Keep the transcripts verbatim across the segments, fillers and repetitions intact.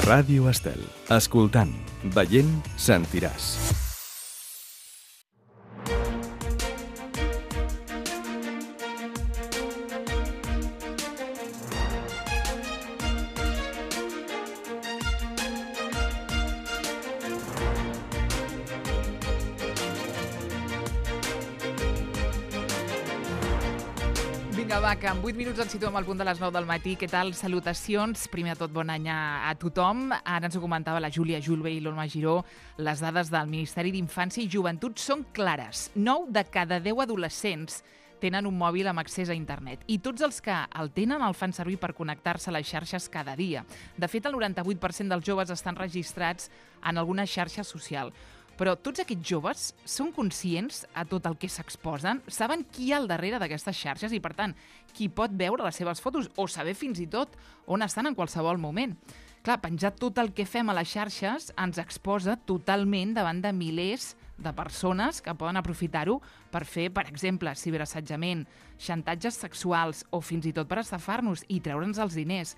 Ràdio Estel. Escoltant, veient, sentiràs. Va, que en vuit minuts ens situem al punt de les nou del matí. Què tal? Salutacions. Primer de tot, bon any a, a tothom. Ara ens ho comentava la Júlia Julve i l'Olma Giró. Les dades del Ministeri d'Infància i Joventut són clares. nou de cada deu adolescents tenen un mòbil amb accés a internet. I tots els que el tenen el fan servir per connectar-se a les xarxes cada dia. De fet, el noranta-vuit per cent dels joves estan registrats en alguna xarxa social. Però tots aquests joves són conscients a tot el que s'exposen? Saben qui hi ha al darrere d'aquestes xarxes i, per tant, qui pot veure les seves fotos o saber fins i tot on estan en qualsevol moment? Clar, penjar tot el que fem a les xarxes ens exposa totalment davant de milers de persones que poden aprofitar-ho per fer, per exemple, ciberassetjament, xantatges sexuals o fins i tot per estafar-nos i treure'ns els diners.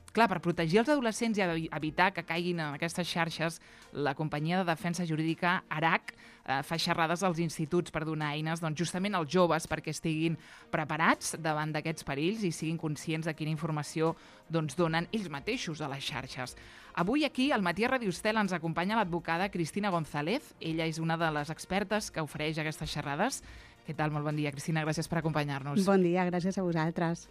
Clar, per protegir els adolescents i evitar que caiguin en aquestes xarxes, la companyia de defensa jurídica ARAC eh, fa xerrades als instituts per donar eines doncs, justament als joves perquè estiguin preparats davant d'aquests perills i siguin conscients de quina informació doncs, donen ells mateixos a les xarxes. Avui aquí, al matí a Ràdio Estel, ens acompanya l'advocada Cristina González. Ella és una de les expertes que ofereix aquestes xerrades. Què tal? Molt bon dia, Cristina. Gràcies per acompanyar-nos. Bon dia, gràcies a vosaltres.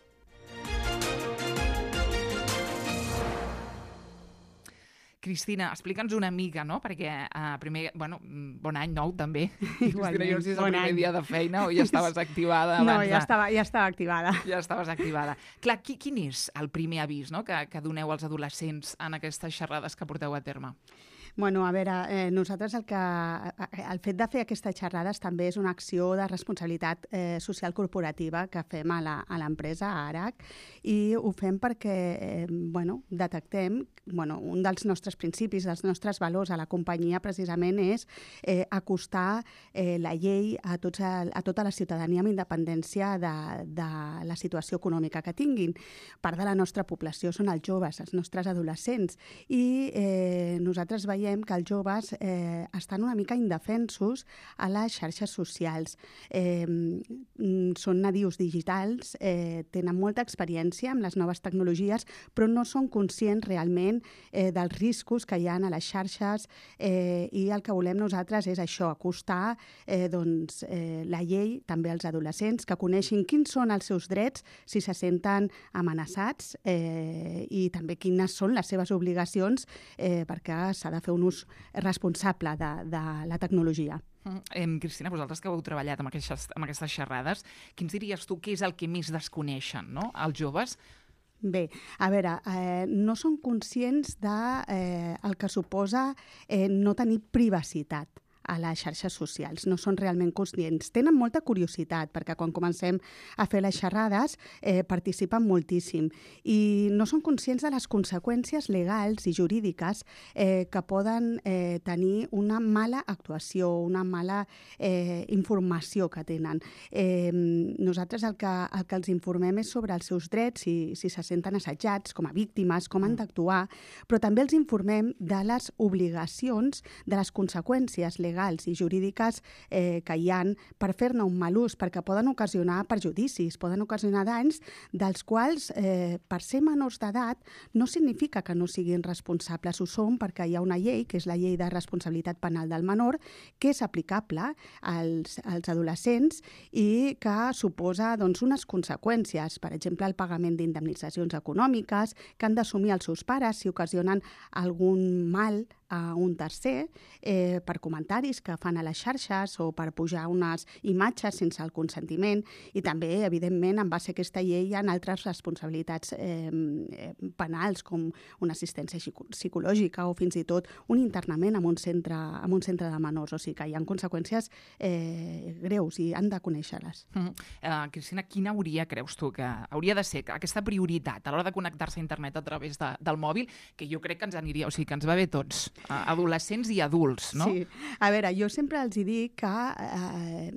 Cristina, explica'ns una mica, no? Perquè, uh, primer, bueno, bon any nou, també. Igualment, Cristina, jo no sé si és el bon primer any. dia de feina o ja estaves activada abans No, ja de... estava, ja estava activada. Ja estaves activada. Clar, qui, quin és el primer avís, no?, que, que doneu als adolescents en aquestes xerrades que porteu a terme? Bueno, a veure, eh, nosaltres el que... El fet de fer aquestes xerrades també és una acció de responsabilitat eh, social corporativa que fem a l'empresa, a ARAC, i ho fem perquè, eh, bueno, detectem, bueno, un dels nostres principis, dels nostres valors a la companyia precisament és eh, acostar eh, la llei a, tots, a, a tota la ciutadania amb independència de, de la situació econòmica que tinguin. Part de la nostra població són els joves, els nostres adolescents, i eh, nosaltres veiem que els joves eh, estan una mica indefensos a les xarxes socials. Eh, són nadius digitals, eh, tenen molta experiència amb les noves tecnologies, però no són conscients realment eh, dels riscos que hi ha a les xarxes eh, i el que volem nosaltres és això, acostar eh, doncs, eh, la llei també als adolescents, que coneixin quins són els seus drets si se senten amenaçats eh, i també quines són les seves obligacions eh, perquè s'ha de fer un ús responsable de, de la tecnologia. Mm. Cristina, vosaltres que heu treballat amb aquestes, amb aquestes xerrades, quins diries tu que és el que més desconeixen, no?, els joves? Bé, a veure, eh, no són conscients de eh, el que suposa eh, no tenir privacitat a les xarxes socials. No són realment conscients. Tenen molta curiositat, perquè quan comencem a fer les xerrades eh, participen moltíssim i no són conscients de les conseqüències legals i jurídiques eh, que poden eh, tenir una mala actuació, una mala eh, informació que tenen. Eh, nosaltres el que, el que els informem és sobre els seus drets, si, si se senten assetjats com a víctimes, com han d'actuar, però també els informem de les obligacions, de les conseqüències legals i jurídiques eh, que hi ha per fer-ne un mal ús, perquè poden ocasionar perjudicis, poden ocasionar danys dels quals, eh, per ser menors d'edat, no significa que no siguin responsables. Ho són perquè hi ha una llei, que és la llei de responsabilitat penal del menor, que és aplicable als, als adolescents i que suposa doncs, unes conseqüències, per exemple, el pagament d'indemnitzacions econòmiques que han d'assumir els seus pares si ocasionen algun mal a un tercer eh, per comentaris que fan a les xarxes o per pujar unes imatges sense el consentiment, i també, evidentment, en base a aquesta llei hi ha altres responsabilitats eh, penals com una assistència psicològica o fins i tot un internament en un centre, en un centre de menors. O sigui que hi ha conseqüències eh, greus i han de conèixer-les. Mm. Uh, Cristina, quina hauria, creus tu, que hauria de ser aquesta prioritat a l'hora de connectar-se a internet a través de, del mòbil, que jo crec que ens aniria, o sigui, que ens va bé tots, adolescents i adults, no? Sí. A veure, jo sempre els hi dic que eh,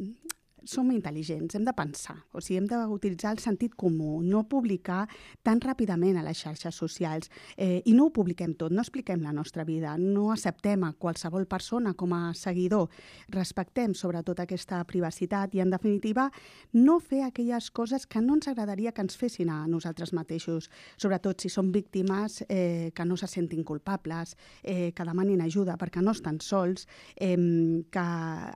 som intel·ligents, hem de pensar, o sigui, hem d'utilitzar el sentit comú, no publicar tan ràpidament a les xarxes socials. Eh, I no ho publiquem tot, no expliquem la nostra vida, no acceptem a qualsevol persona com a seguidor, respectem sobretot aquesta privacitat i, en definitiva, no fer aquelles coses que no ens agradaria que ens fessin a nosaltres mateixos, sobretot si són víctimes eh, que no se sentin culpables, eh, que demanin ajuda perquè no estan sols, eh, que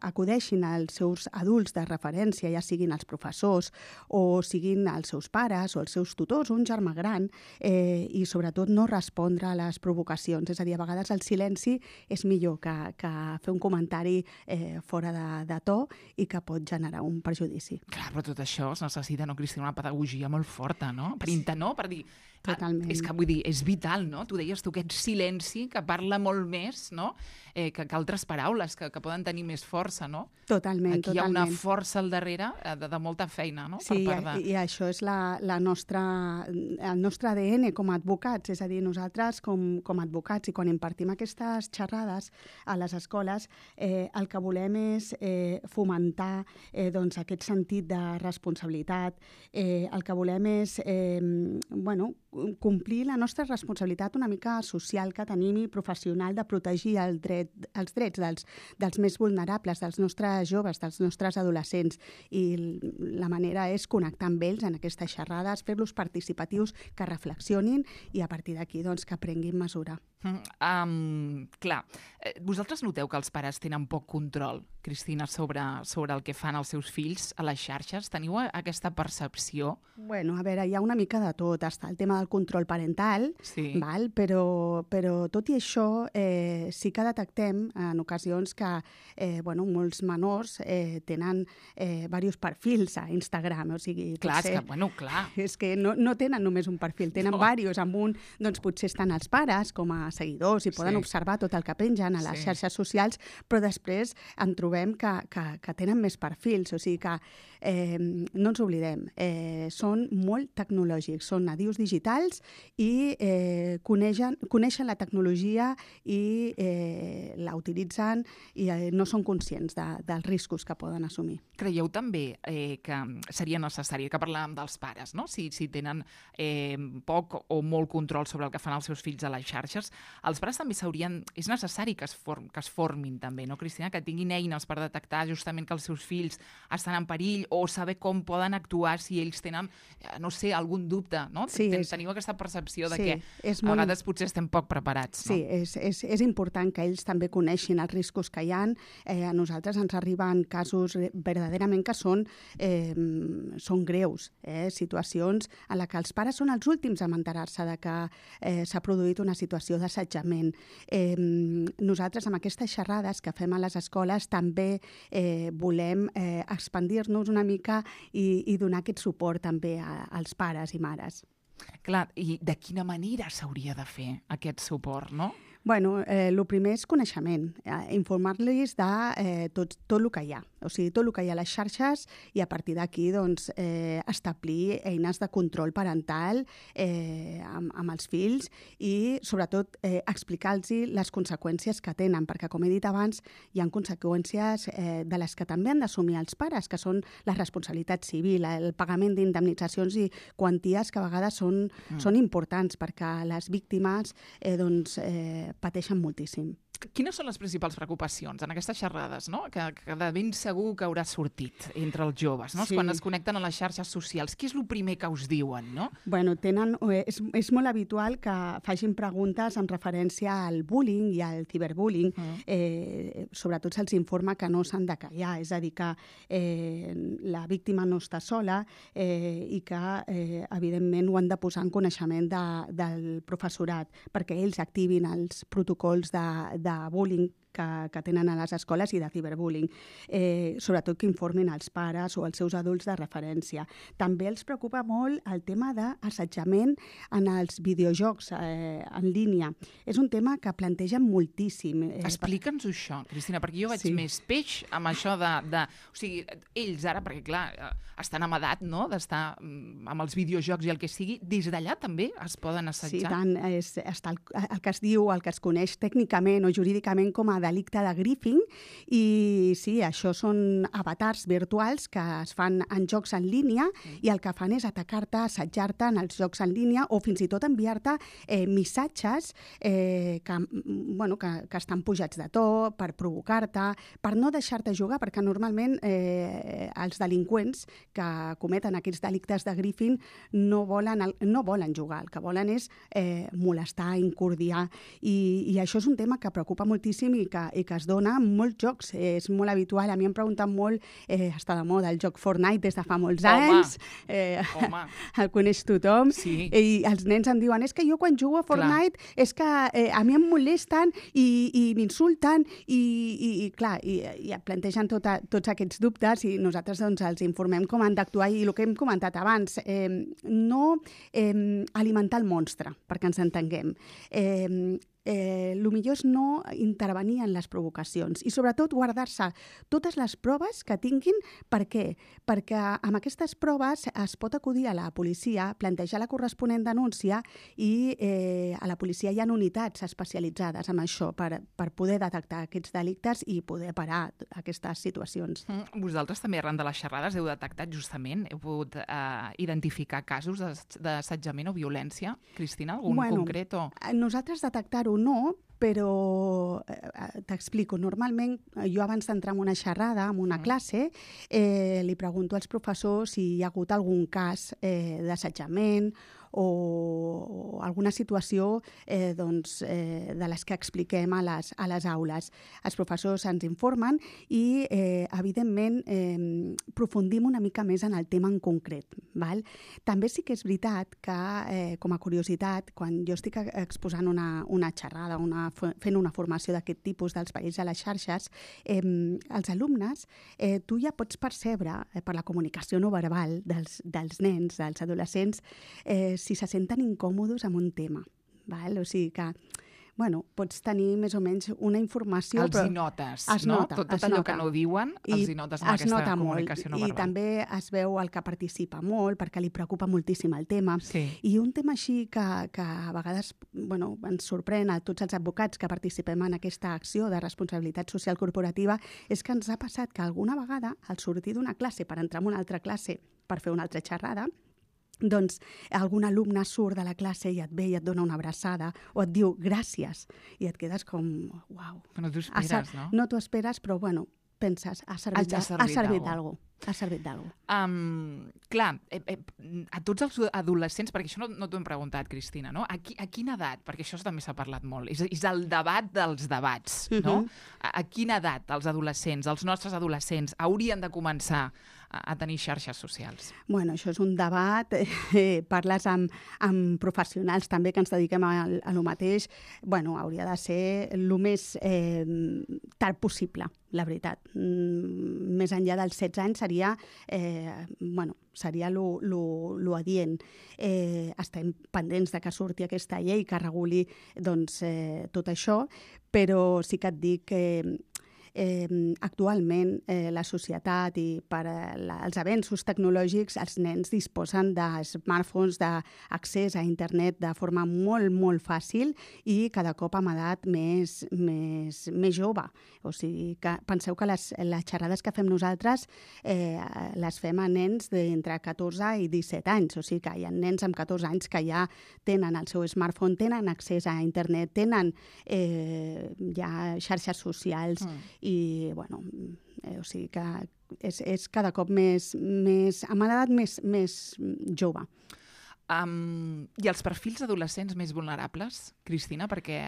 acudeixin als seus adults de referència, ja siguin els professors o siguin els seus pares o els seus tutors o un germà gran, eh, i sobretot no respondre a les provocacions. És a dir, a vegades el silenci és millor que, que fer un comentari eh, fora de, de to i que pot generar un perjudici. Clar, però tot això es necessita, no, Cristina, una pedagogia molt forta, no? Per intentar, no? Per dir... Totalment. És que, vull dir, és vital, no? Tu deies tu aquest silenci que parla molt més, no? Eh, que, que altres paraules que, que poden tenir més força, no? Totalment, Aquí totalment. hi ha una força al darrere de, de molta feina, no? Sí, per part de... i, i això és la, la nostra, el nostre A D N com a advocats, és a dir, nosaltres com, com a advocats, i quan impartim aquestes xerrades a les escoles, eh, el que volem és eh, fomentar eh, doncs, aquest sentit de responsabilitat, eh, el que volem és eh, bueno, complir la nostra responsabilitat una mica social que tenim i professional de protegir el dret, els drets dels, dels més vulnerables, dels nostres joves, dels nostres adolescents. I la manera és connectar amb ells en aquestes xerrades, fer-los participatius, que reflexionin i a partir d'aquí doncs, que prenguin mesura. Mm, um, clar, vosaltres noteu que els pares tenen poc control, Cristina, sobre, sobre el que fan els seus fills a les xarxes? Teniu aquesta percepció? Bueno, a veure, hi ha una mica de tot. Està el tema del control parental, sí. val? Però, però tot i això eh, sí que detectem en ocasions que eh, bueno, molts menors eh, tenen eh, diversos perfils a Instagram. O sigui, clar, potser, és que, bueno, clar. És que no, no tenen només un perfil, tenen no. diversos. Amb un, doncs potser estan els pares com a seguidors i poden sí. observar tot el que pengen a les sí. xarxes socials, però després en trobem que, que, que tenen més perfils, o sigui que eh, no ens oblidem, eh, són molt tecnològics, són nadius digitals i eh, coneixen, coneixen la tecnologia i eh, la utilitzen i eh, no són conscients de, dels riscos que poden assumir. Creieu també eh, que seria necessari, que parlàvem dels pares, no? Si, si tenen eh, poc o molt control sobre el que fan els seus fills a les xarxes, els pares també s'haurien... És necessari que es, form, que es formin també, no, Cristina? Que tinguin eines per detectar justament que els seus fills estan en perill o saber com poden actuar si ells tenen, no sé, algun dubte, no? Sí, Ten, és... Teniu aquesta percepció de sí, que és a molt... vegades potser estem poc preparats, no? Sí, és, és, és important que ells també coneixin els riscos que hi ha. Eh, a nosaltres ens arriben casos verdaderament que són, eh, són greus, eh? Situacions en les que els pares són els últims a enterar-se de que eh, s'ha produït una situació d'assetjament. Eh, nosaltres, amb aquestes xerrades que fem a les escoles, també eh, volem eh, expandir-nos una mica i, i donar aquest suport també a, als pares i mares. Clar, i de quina manera s'hauria de fer aquest suport, no? Bueno, eh, el primer és coneixement, eh, informar-los de eh, tot, tot el que hi ha, o sigui, tot el que hi ha a les xarxes i a partir d'aquí doncs, eh, establir eines de control parental eh, amb, amb els fills i sobretot eh, explicar-los les conseqüències que tenen, perquè com he dit abans hi ha conseqüències eh, de les que també han d'assumir els pares, que són la responsabilitat civil, el pagament d'indemnitzacions i quanties que a vegades són, mm. són importants perquè les víctimes eh, doncs, eh, pateixen moltíssim. Quines són les principals preocupacions en aquestes xerrades, no? que, que de ben segur que haurà sortit entre els joves, no? Sí. Quan es connecten a les xarxes socials? Què és el primer que us diuen, no? Bueno, tenen, és, és molt habitual que facin preguntes en referència al bullying i al ciberbullying. Mm. Eh, sobretot se'ls informa que no s'han de callar, és a dir, que eh, la víctima no està sola eh, i que, eh, evidentment, ho han de posar en coneixement de, del professorat perquè ells activin els protocols de, de bullying que, que tenen a les escoles i de ciberbullying. Eh, sobretot que informin els pares o els seus adults de referència. També els preocupa molt el tema d'assetjament en els videojocs eh, en línia. És un tema que plantegen moltíssim. Eh, Explica'ns això, Cristina, perquè jo veig sí. més peix amb això de, de... O sigui, ells ara, perquè clar, estan en edat, no?, d'estar amb els videojocs i el que sigui, des d'allà també es poden assetjar. Sí, tant. És, està el, el que es diu, el que es coneix tècnicament o jurídicament com a delicte de griefing, i sí, això són avatars virtuals que es fan en jocs en línia mm. i el que fan és atacar-te, assetjar-te en els jocs en línia o fins i tot enviar-te eh, missatges eh, que, bueno, que, que estan pujats de to per provocar-te, per no deixar-te jugar, perquè normalment eh, els delinqüents que cometen aquests delictes de griefing no volen, no volen jugar, el que volen és eh, molestar, incordiar, i, i això és un tema que preocupa moltíssim i que, i que es dona en molts jocs. Eh, és molt habitual, a mi em pregunten molt, eh, està de moda el joc Fortnite des de fa molts Home. anys, eh, Home. el coneix tothom, sí. i els nens em diuen, és que jo quan jugo a Fortnite clar. és que eh, a mi em molesten i, i m'insulten i, i, i clar, i, i et plantegen tota, tots aquests dubtes i nosaltres doncs, els informem com han d'actuar i el que hem comentat abans, eh, no eh, alimentar el monstre, perquè ens entenguem. Eh, Eh, el millor és no intervenir en les provocacions i sobretot guardar-se totes les proves que tinguin. Per què? Perquè amb aquestes proves es pot acudir a la policia, plantejar la corresponent denúncia i eh, a la policia hi ha unitats especialitzades en això per, per poder detectar aquests delictes i poder parar aquestes situacions. Mm, vosaltres també arran de les xerrades heu detectat justament, heu pogut eh, identificar casos d'assetjament o violència? Cristina, algun bueno, concret? O... Nosaltres detectar-ho no, però eh, t'explico. Normalment, jo abans d'entrar en una xerrada, en una mm. classe, eh, li pregunto als professors si hi ha hagut algun cas eh, d'assetjament o alguna situació eh, doncs, eh, de les que expliquem a les, a les aules. Els professors ens informen i, eh, evidentment, eh, profundim una mica més en el tema en concret. Val? També sí que és veritat que, eh, com a curiositat, quan jo estic exposant una, una xerrada, una, fent una formació d'aquest tipus dels perills a les xarxes, eh, els alumnes, eh, tu ja pots percebre, eh, per la comunicació no verbal dels, dels nens, dels adolescents, eh, si se senten incòmodes amb un tema. Val? O sigui que, bueno, pots tenir més o menys una informació... Els però hi notes, es no? Nota, tot tot allò nota. Que no diuen, els hi notes amb es aquesta nota comunicació molt. no verbal. I també es veu el que participa molt, perquè li preocupa moltíssim el tema. Sí. I un tema així que, que a vegades bueno, ens sorprèn a tots els advocats que participem en aquesta acció de responsabilitat social corporativa és que ens ha passat que alguna vegada, al sortir d'una classe per entrar en una altra classe per fer una altra xerrada, doncs algun alumne surt de la classe i et ve i et dona una abraçada o et diu gràcies i et quedes com, uau. No t'ho esperes, no? No t'ho esperes, però bueno, penses, ha servit, ha servit, ha servit d'alguna cosa. Ha servit d'alguna cosa. Um, clar, eh, eh, a tots els adolescents, perquè això no, no t'ho hem preguntat, Cristina, no? A, qui, a quina edat? Perquè això també s'ha parlat molt. És, és el debat dels debats, no? Uh-huh. A, a quina edat els adolescents, els nostres adolescents, haurien de començar a, a tenir xarxes socials? Bueno, això és un debat. Eh, parles amb, amb professionals també que ens dediquem a, a lo mateix. Bueno, hauria de ser el més eh, tard possible, la veritat. Mm, més enllà dels setze anys seria, eh, bueno, seria lo, lo, lo adient. Eh, estem pendents de que surti aquesta llei que reguli doncs, eh, tot això, però sí que et dic que Eh, actualment eh, la societat i per eh, la, els avenços tecnològics els nens disposen de smartphones, d'accés a internet de forma molt, molt fàcil i cada cop amb edat més, més, més jove. O sigui, que penseu que les, les xerrades que fem nosaltres eh, les fem a nens d'entre catorze i disset anys. O sigui que hi ha nens amb catorze anys que ja tenen el seu smartphone, tenen accés a internet, tenen eh, ja xarxes socials mm. i, bueno, eh, o sigui que és, és cada cop més, més amb edat més, més jove. Um, I els perfils adolescents més vulnerables, Cristina? Perquè,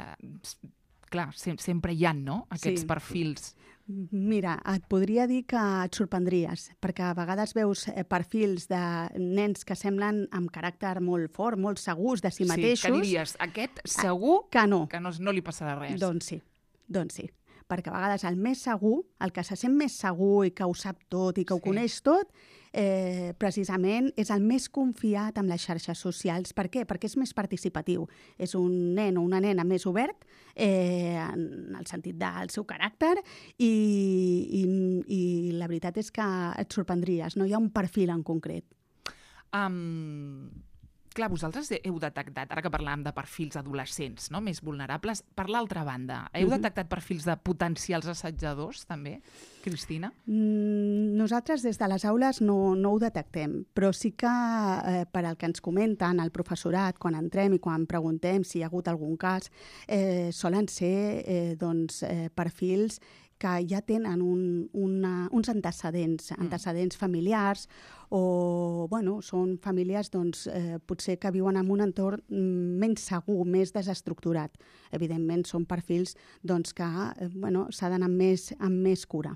clar, sem sempre hi ha, no?, aquests sí. perfils. Mira, et podria dir que et sorprendries, perquè a vegades veus perfils de nens que semblen amb caràcter molt fort, molt segurs de si mateixos. Sí, que diries, aquest segur que no, que no, no li passarà res. Doncs sí, doncs sí. Perquè a vegades el més segur, el que se sent més segur i que ho sap tot i que ho sí. coneix tot, eh, precisament és el més confiat amb les xarxes socials. Per què? Perquè és més participatiu. És un nen o una nena més obert eh, en el sentit del seu caràcter i, i, i la veritat és que et sorprendries. No hi ha un perfil en concret. Um... clar, vosaltres heu detectat, ara que parlàvem de perfils adolescents, no?, més vulnerables, per l'altra banda, heu Mhm. detectat perfils de potencials assetjadors, també, Cristina? Mm, Nosaltres des de les aules no, no ho detectem, però sí que eh, per al que ens comenten el professorat quan entrem i quan preguntem si hi ha hagut algun cas, eh, solen ser eh, doncs, eh, perfils que ja tenen un, una, uns antecedents, antecedents familiars o bueno, són famílies doncs, eh, potser que viuen en un entorn mm, menys segur, més desestructurat. Evidentment són perfils doncs, que eh, bueno, s'ha d'anar amb més, amb més cura.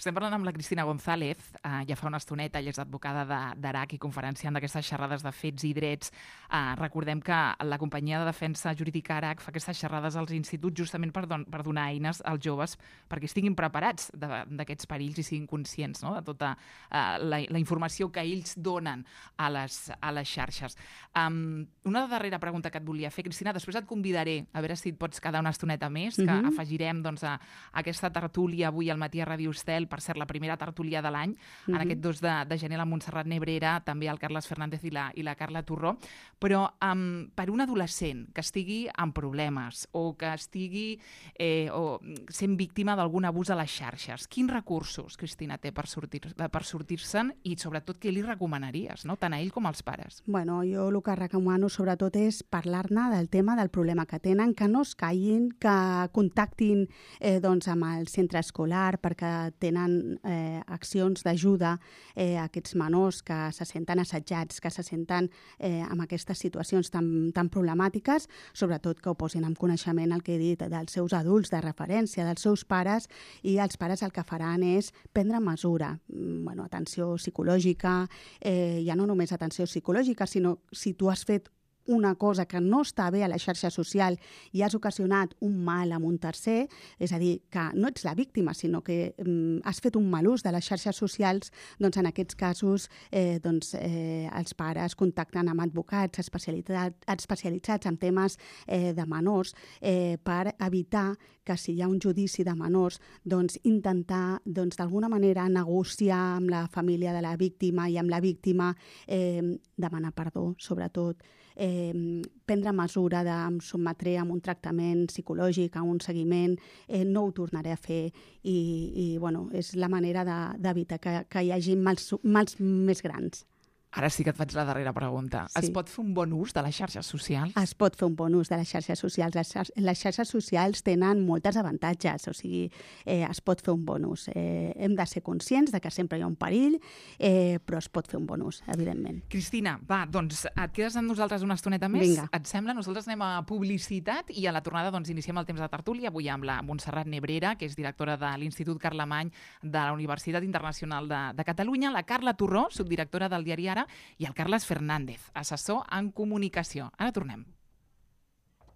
Estem parlant amb la Cristina González, eh, ja fa una estoneta, ella és advocada d'A R A C i conferenciant d'aquestes xerrades de fets i drets. Eh, recordem que la companyia de defensa jurídica A R A C fa aquestes xerrades als instituts justament per, don per donar eines als joves perquè estiguin preparats d'aquests perills i siguin conscients, no?, de tota eh, la, la informació que ells donen a les, a les xarxes. Um, una darrera pregunta que et volia fer, Cristina, després et convidaré a veure si et pots quedar una estoneta més, que Mhm. afegirem doncs, a, a aquesta tertúlia avui al matí a Ràdio Estel, per ser la primera tertúlia de l'any, en Mhm. aquest dos de, de gener, la Montserrat Nebrera, també el Carles Fernández i la, i la Carla Torró. Però um, per un adolescent que estigui amb problemes o que estigui eh, o sent víctima d'algun abús a les xarxes, quins recursos, Cristina, té per sortir- per sortir-se'n i sobretot què li recomanaries, no?, tant a ell com als pares? Bueno, jo el que recomano sobretot és parlar-ne del tema del problema que tenen, que no es callin, que contactin eh, doncs, amb el centre escolar perquè tenen eh, accions d'ajuda eh, a aquests menors que se senten assetjats, que se senten eh, amb aquestes situacions tan, tan problemàtiques, sobretot que ho posin en coneixement el que he dit dels seus adults de referència, dels seus pares, i els pares el que faran és prendre mesura, bueno, atenció psicològica, eh, ja no només atenció psicològica, sinó si tu has fet una cosa que no està bé a la xarxa social i has ocasionat un mal a un tercer, és a dir, que no ets la víctima, sinó que mm, has fet un mal ús de les xarxes socials, doncs en aquests casos eh, doncs, eh, els pares contacten amb advocats especialitzats, especialitzats en temes eh, de menors eh, per evitar que si hi ha un judici de menors, doncs intentar doncs, d'alguna manera negociar amb la família de la víctima i amb la víctima eh, demanar perdó, sobretot, eh, prendre mesura de em sotmetré a un tractament psicològic, a un seguiment, eh, no ho tornaré a fer i, i bueno, és la manera d'evitar que, que hi hagi mals, mals més grans. Ara sí que et faig la darrera pregunta. Sí. Es pot fer un bon ús de les xarxes socials? Es pot fer un bon ús de les xarxes socials. Les, xar les xarxes socials tenen moltes avantatges, o sigui, eh, es pot fer un bon ús. Eh, hem de ser conscients de que sempre hi ha un perill, eh, però es pot fer un bon ús, evidentment. Cristina, va, doncs et quedes amb nosaltres una estoneta més? Vinga. Et sembla? Nosaltres anem a publicitat i a la tornada doncs, iniciem el temps de tertúlia, avui amb la Montserrat Nebrera, que és directora de l'Institut Carlemany de la Universitat Internacional de, de Catalunya, la Carla Torró, subdirectora del diari Ara, i el Carles Fernández, assessor en comunicació. Ara tornem.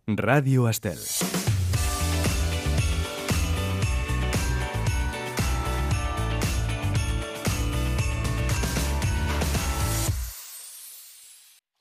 Ràdio Estel.